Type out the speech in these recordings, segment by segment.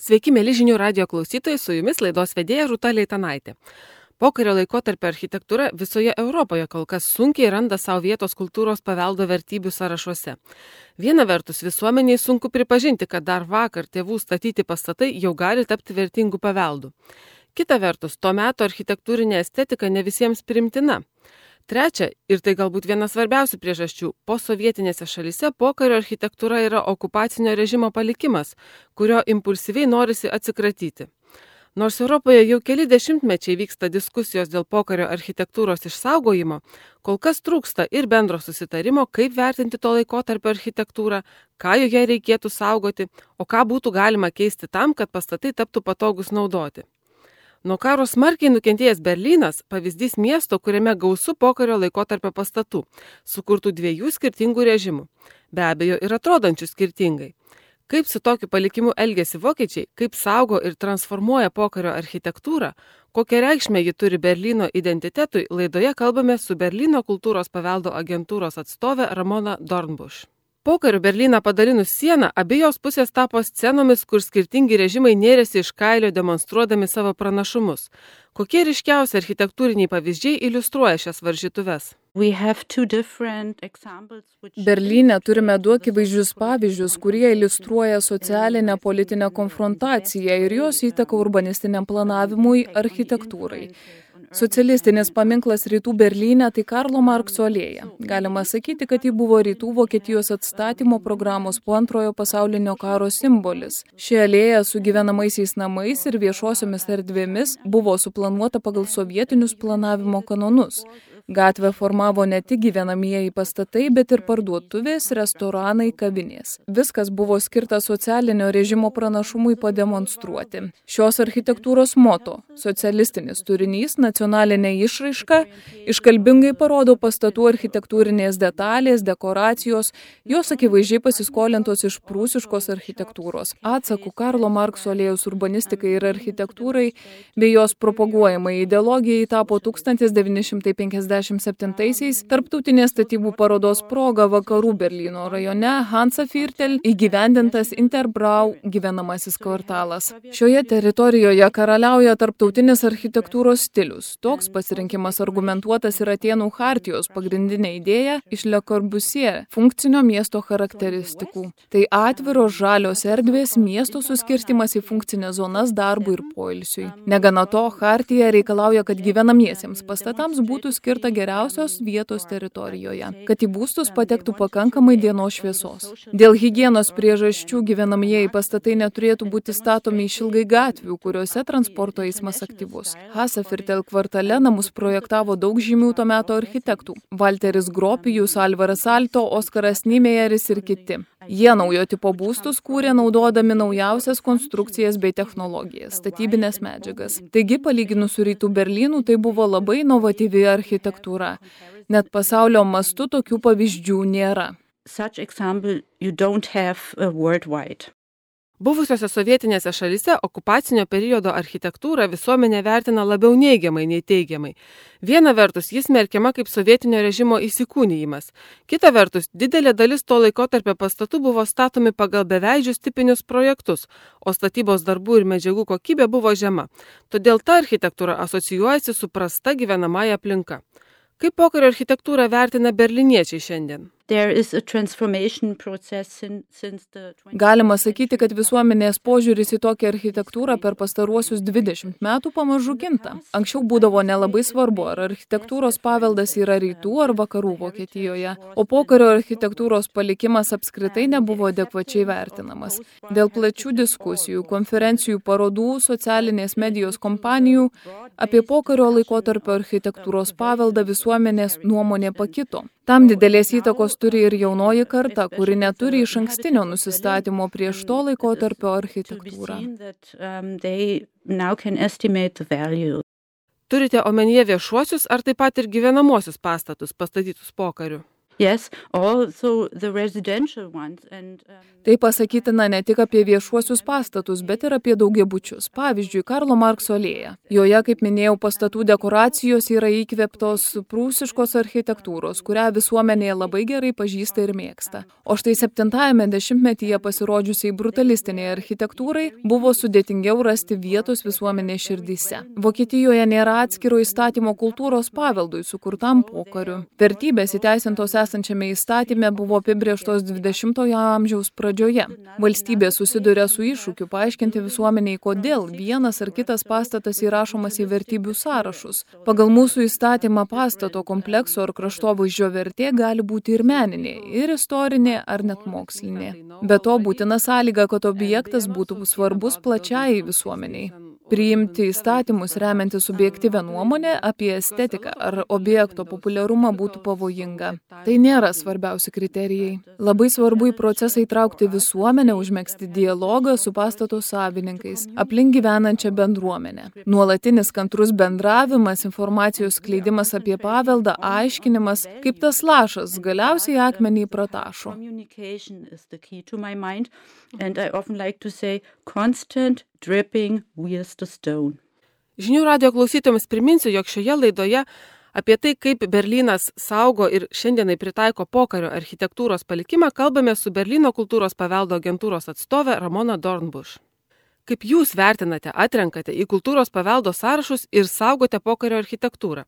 Sveiki, mėly žinių radijo klausytojai, su jumis laidos vedėja Rūta Leitanaitė. Pokario laikotarpio architektūra visoje Europoje kol kas sunkiai randa savo vietos kultūros paveldo vertybių sąrašuose. Viena vertus, visuomeniai sunku pripažinti, kad dar vakar tėvų statyti pastatai jau gali tapti vertingų paveldų. Kita vertus, to meto architektūrinė estetika ne visiems primtina. Trečia, ir tai galbūt viena svarbiausių priežasčių, posovietinėse šalyse pokario architektūra yra okupacinio režimo palikimas, kurio impulsyviai norisi atsikratyti. Nors Europoje jau keli dešimtmečiai vyksta diskusijos dėl pokario architektūros išsaugojimo, kol kas trūksta ir bendro susitarimo, kaip vertinti to laikotarpio architektūrą, ką joje reikėtų saugoti, o ką būtų galima keisti tam, kad pastatai taptų patogus naudoti. Nuo karo smarkiai nukentėjęs Berlynas – pavyzdys miesto, kuriame gausu pokario laikotarpio pastatų, sukurtų dviejų skirtingų režimų, be abejo ir atrodančių skirtingai. Kaip su tokiu palikimu elgiasi vokiečiai, kaip saugo ir transformuoja pokario architektūrą, kokią reikšmę ji turi Berlyno identitetui, laidoje kalbame su Berlyno kultūros paveldo agentūros atstove Ramona Dornbusch. Pokariu Berlyną padalinus sieną, abiejos pusės tapo scenomis, kur skirtingi režimai nėrėsi iš kailio demonstruodami savo pranašumus. Kokie ryškiausi architektūriniai pavyzdžiai iliustruoja šias varžytuves? Berlyne turime du akivaizdžius pavyzdžius, kurie iliustruoja socialinę politinę konfrontaciją ir jos įtaką urbanistiniam planavimui, architektūrai. Socialistinis paminklas Rytų Berlyne tai Karlo Markso alėja. Galima sakyti, kad ji buvo Rytų Vokietijos atstatymo programos po Antrojo pasaulinio karo simbolis. Ši alėja su gyvenamaisiais namais ir viešosiomis erdvėmis buvo suplanuota pagal sovietinius planavimo kanonus. Gatvę formavo ne tik gyvenamieji pastatai, bet ir parduotuvės, restoranai, kavinės. Viskas buvo skirta socialinio režimo pranašumui pademonstruoti. Šios architektūros moto – socialistinis turinys, nacionalinė išraiška – iškalbingai parodo pastatų architektūrinės detalės, dekoracijos, jos akivaizdžiai pasiskolintos iš prūsiškos architektūros. Atsaku Karlo Markso alėjos urbanistikai ir architektūrai bei jos propaguojamai ideologijai tapo 1957-aisiais tarptautinės statybų parodos proga Vakarų Berlyno rajone Hansaviertel įgyvendintas Interbrau gyvenamasis kvartalas. Šioje teritorijoje karaliauja tarptautinis architektūros stilius. Toks pasirinkimas argumentuotas ir Atėnų chartijos pagrindinė idėja iš Le Corbusier funkcinio miesto charakteristikų. Tai atviros žalios erdvės, miesto suskirstimas į funkcinės zonas darbui ir poilsiui. Negana to, chartija reikalauja, kad gyvenamiesiems pastatams būtų skirta geriausios vietos teritorijoje, kad į būstus patektų pakankamai dienos šviesos. Dėl higienos priežasčių gyvenamieji pastatai neturėtų būti statomi išilgai gatvių, kuriuose transporto eismas aktyvus. Hansaviertel kvartale namus projektavo daug žymių to meto architektų – Walteris Gropius, Alvaras Aalto, Oskaras Niemeyeris ir kiti. Jie naujo tipo būstus kūrė naudodami naujausias konstrukcijas bei technologijas, statybinės medžiagas. Taigi, palyginus su Rytų Berlynu, tai buvo labai inovatyvi architektūra. Net pasaulio mastu tokių pavyzdžių nėra. Buvusiose sovietinėse šalyse okupacinio periodo architektūrą visuomenė vertina labiau neigiamai nei teigiamai. Viena vertus, jis smerkiama kaip sovietinio režimo įsikūnijimas. Kita vertus, didelė dalis to laikotarpio pastatų buvo statomi pagal beveidžius tipinius projektus, o statybos darbų ir medžiagų kokybė buvo žema. Todėl ta architektūra asocijuojasi su prasta gyvenamąja aplinka. Kaip pokario architektūrą vertina berlyniečiai šiandien? Galima sakyti, kad visuomenės požiūris į tokią architektūrą per pastaruosius 20 metų pamažu kinta. Anksčiau būdavo nelabai svarbu, ar architektūros paveldas yra rytų ar vakarų Vokietijoje, o pokario architektūros palikimas apskritai nebuvo adekvačiai vertinamas. Dėl plačių diskusijų, konferencijų, parodų, socialinės medijos kompanijų apie pokario laikotarpio architektūros paveldą visuomenės nuomonė pakito. Tam didelės įtakos turi ir jaunoji karta, kuri neturi išankstinio nusistatymo prieš to laikotarpio architektūrą. Turite omenyje viešuosius ar taip pat ir gyvenamosius pastatus pastatytus pokariu? Yes, also the residential ones and Tai pasakytina ne tik apie viešuosius pastatus, bet ir apie daugiabučius. Pavyzdžiui, Karlo Markso alėja. Joje, kaip minėjau, pastatų dekoracijos yra įkvėptos prūsiškos architektūros, kurią visuomenėje labai gerai pažįsta ir mėgsta. O štai 7-ajame dešimtmetyje pasirodžiusiai brutalistiniai architektūrai buvo sudėtingiau rasti vietos visuomenės širdyse. Vokietijoje nėra atskiro įstatymo kultūros paveldui sukurtam pokariu. Vertybės įteisintos esančiame įstatyme buvo apibrėžtos 20-ojo amžiaus pradžioje. Valstybė susiduria su iššūkiu paaiškinti visuomeniai, kodėl vienas ar kitas pastatas įrašomas į vertybių sąrašus. Pagal mūsų įstatymą pastato komplekso ar kraštovaizdžio vertė gali būti ir meninė, ir istorinė, ar net mokslinė. Be to būtina sąlyga, kad objektas būtų svarbus plačiai visuomeniai. Priimti įstatymus remiantis subjektyvę nuomonę apie estetiką ar objekto populiarumą būtų pavojinga. Tai nėra svarbiausi kriterijai. Labai svarbu į procesą įtraukti visuomenę, užmegzti dialogą su pastato savininkais, aplink gyvenančią bendruomenę. Nuolatinis kantrus bendravimas, informacijos skleidimas apie paveldą, aiškinimas, kaip tas lašas galiausiai akmenį pratašo. Dripping wears the stone. Žinių radijo klausytojams priminsiu, jog šioje laidoje apie tai, kaip Berlynas saugo ir šiandienai pritaiko pokario architektūros palikimą, kalbame su Berlyno kultūros paveldo agentūros atstove Ramona Dornbusch. Kaip jūs vertinate, atrenkate į kultūros paveldo sąrašus ir saugote pokario architektūrą?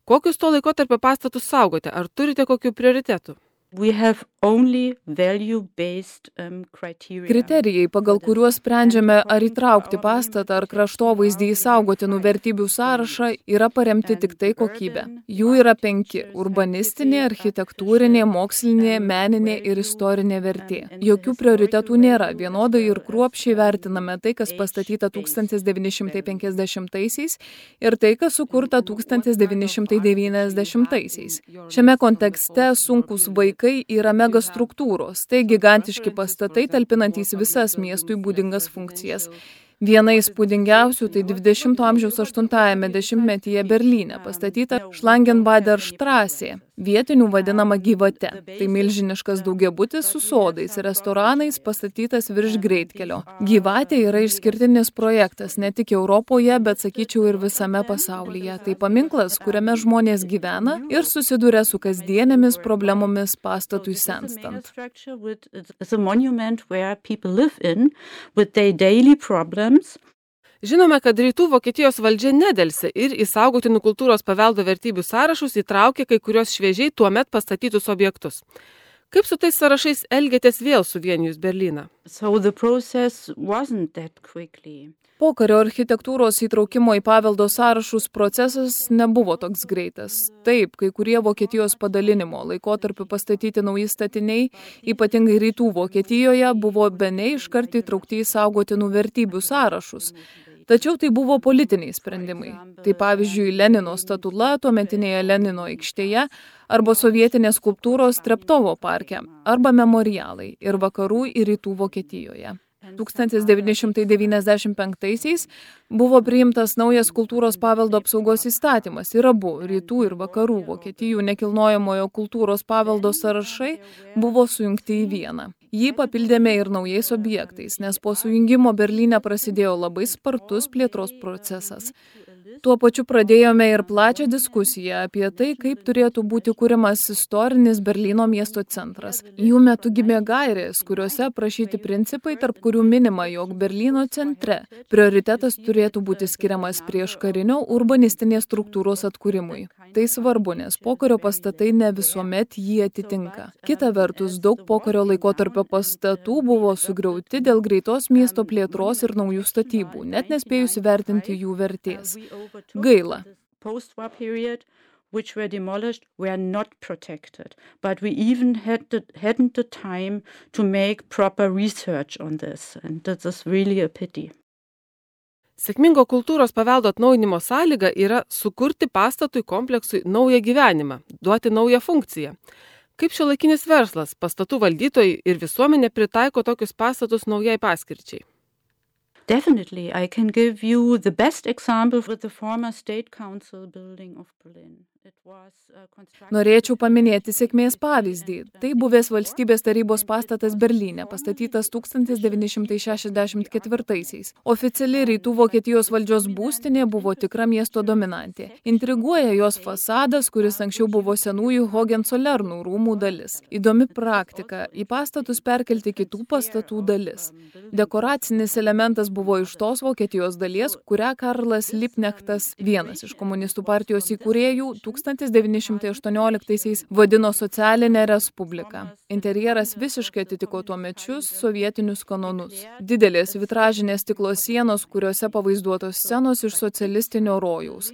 Kokius to laikotarpio pastatus saugote? Ar turite kokių prioritetų? We have only value-based criteria. Kriterijai, pagal kuriuos sprendžiame, ar įtraukti pastatą ar kraštovaizdį į saugotinų vertybių sąrašą, yra paremti tik tai kokybė. Jų yra 5 – urbanistinė, architektūrinė, mokslinė, meninė ir istorinė vertė. Jokių prioritetų nėra, vienodai ir kruopščiai vertiname tai, kas pastatyta 1950-aisiais ir tai, kas sukurta 1990-aisiais. Šiame kontekste sunkūs vaikai yra megastruktūros, tai gigantiški pastatai talpinantys visas miestui būdingas funkcijas. Viena įspūdingiausių tai 20-ojo amžiaus 8-ajame dešimtmetyje Berlyne pastatyta Schlangenbader Straßė, vietinių vadinama gyvate. Tai milžiniškas daugiabutis su sodais ir restoranais pastatytas virš greitkelio. Gyvatė yra išskirtinis projektas ne tik Europoje, bet sakyčiau ir visame pasaulyje. Tai paminklas, kuriame žmonės gyvena ir susiduria su kasdienėmis problemomis pastatui senstant. Žinome, kad rytų Vokietijos valdžia nedelsė ir į saugotinų kultūros paveldo vertybių sąrašus įtraukė kai kurios šviežiai tuomet pastatytus objektus. Kaip su tais sąrašais elgėtės vėl suvienijus Berlyną? Pokario architektūros įtraukimo į paveldo sąrašus procesas nebuvo toks greitas. Taip, kai kurie Vokietijos padalinimo laikotarpiu pastatyti nauji statiniai, ypatingai rytų Vokietijoje, buvo bene iškart įtraukti į saugotinų vertybių sąrašus. Tačiau tai buvo politiniai sprendimai. Tai pavyzdžiui Lenino statula tuometinėje Lenino aikštėje arba sovietinės skulptūros Treptovo parke arba memorialai ir vakarų ir rytų Vokietijoje. 1995-aisiais buvo priimtas naujas kultūros paveldo apsaugos įstatymas ir abu rytų ir vakarų Vokietijų nekilnojamojo kultūros paveldo sąrašai buvo sujungti į vieną. Jį papildėme ir naujais objektais, nes po sujungimo Berlyne prasidėjo labai spartus plėtros procesas. Tuo pačiu pradėjome ir plačią diskusiją apie tai, kaip turėtų būti kuriamas istorinis Berlyno miesto centras. Jų metu gimė gairės, kuriuose aprašyti principai, tarp kurių minima, jog Berlyno centre prioritetas turėtų būti skiriamas prieškarinio urbanistinės struktūros atkūrimui. Tai svarbu, nes pokario pastatai ne visuomet jį atitinka. Kita vertus, daug pokario laikotarpio pastatų buvo sugriauti dėl greitos miesto plėtros ir naujų statybų, net nespėjus įvertinti jų vertės. Gaila. Which were demolished were not protected, but we even hadn't the time to make proper research on this, and that is really a pity. Sėkmingo kultūros paveldo atnaujinimo sąlyga yra sukurti pastatui kompleksui naują gyvenimą, duoti naują funkciją. Kaip šiuolaikinis verslas, pastatų valdytojai ir visuomenė pritaiko tokius pastatus naujai paskirčiai? Definitely, I can give you the best example with the former State Council building of Berlin. Norėčiau paminėti sėkmės pavyzdį. Tai buvęs valstybės tarybos pastatas Berlyne, pastatytas 1964-aisiais. Oficiali rytų Vokietijos valdžios būstinė buvo tikra miesto dominantė. Intriguoja jos fasadas, kuris anksčiau buvo senųjų Hohenzollernų rūmų dalis. Įdomi praktika – į pastatus perkelti kitų pastatų dalis. Dekoracinis elementas buvo iš tos Vokietijos dalies, kurią Karlas Liebknechtas, vienas iš komunistų partijos įkūrėjų, 1918-aisiais vadino socialinę respubliką. Interjeras visiškai atitiko tuomečius sovietinius kanonus. Didelės vitražinės stiklo sienos, kuriuose pavaizduotos scenos iš socialistinio rojaus.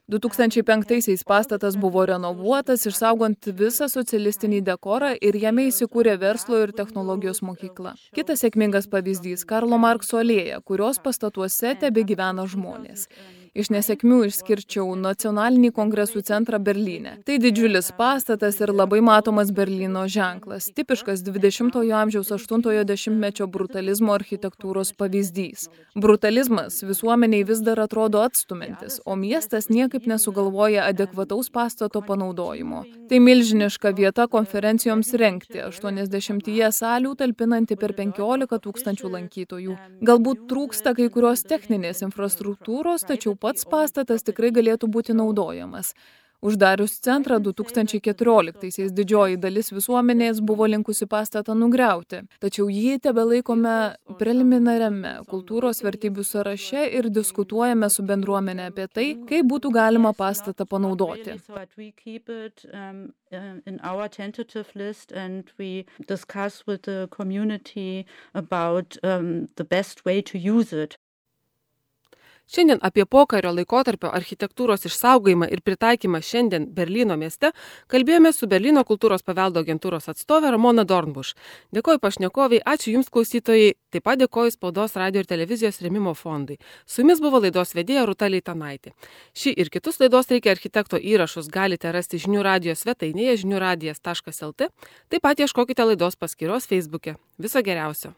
2005-aisiais pastatas buvo renovuotas, išsaugant visą socialistinį dekorą ir jame įsikūrė verslo ir technologijos mokykla. Kitas sėkmingas pavyzdys – Karlo Markso alėja, kurios pastatuose tebegyvena žmonės. Iš nesėkmių išskirčiau Nacionalinį kongresų centrą Berlyne. Tai didžiulis pastatas ir labai matomas Berlyno ženklas, tipiškas 20-ojo amžiaus 8-ojo dešimtmečio brutalizmo architektūros pavyzdys. Brutalizmas visuomeniai vis dar atrodo atstumiantis, o miestas niekaip nesugalvoja adekvataus pastato panaudojimo. Tai milžiniška vieta konferencijoms rengti, 80 salių talpinanti per 15 000 lankytojų. Galbūt trūksta kai kurios techninės infrastruktūros, tačiau pats pastatas tikrai galėtų būti naudojamas. Uždarius centrą 2014-aisiais didžioji dalis visuomenės buvo linkusi pastatą nugriauti, tačiau jį tebelaikome preliminariame kultūros vertybių sąraše ir diskutuojame su bendruomenė apie tai, kaip būtų galima pastatą panaudoti. In our tentative list, and we discuss with the community about the best way to use it. Šiandien apie pokario laikotarpio architektūros išsaugojimą ir pritaikymą šiandien Berlyno mieste kalbėjome su Berlyno kultūros paveldo agentūros atstovė Ramona Dornbuš. Dėkoju pašnekoviai, ačiū Jums klausytojai, taip pat dėkoju Spaudos, radio ir televizijos rėmimo fondui. Su Jumis buvo laidos vedėja Rūta Leitanaitė. Šį ir kitus laidos Reikia architekto įrašus galite rasti žinių radijo svetainėje žiniųradijas.lt, taip pat ieškokite laidos paskyros Facebook'e. Viso geriausio.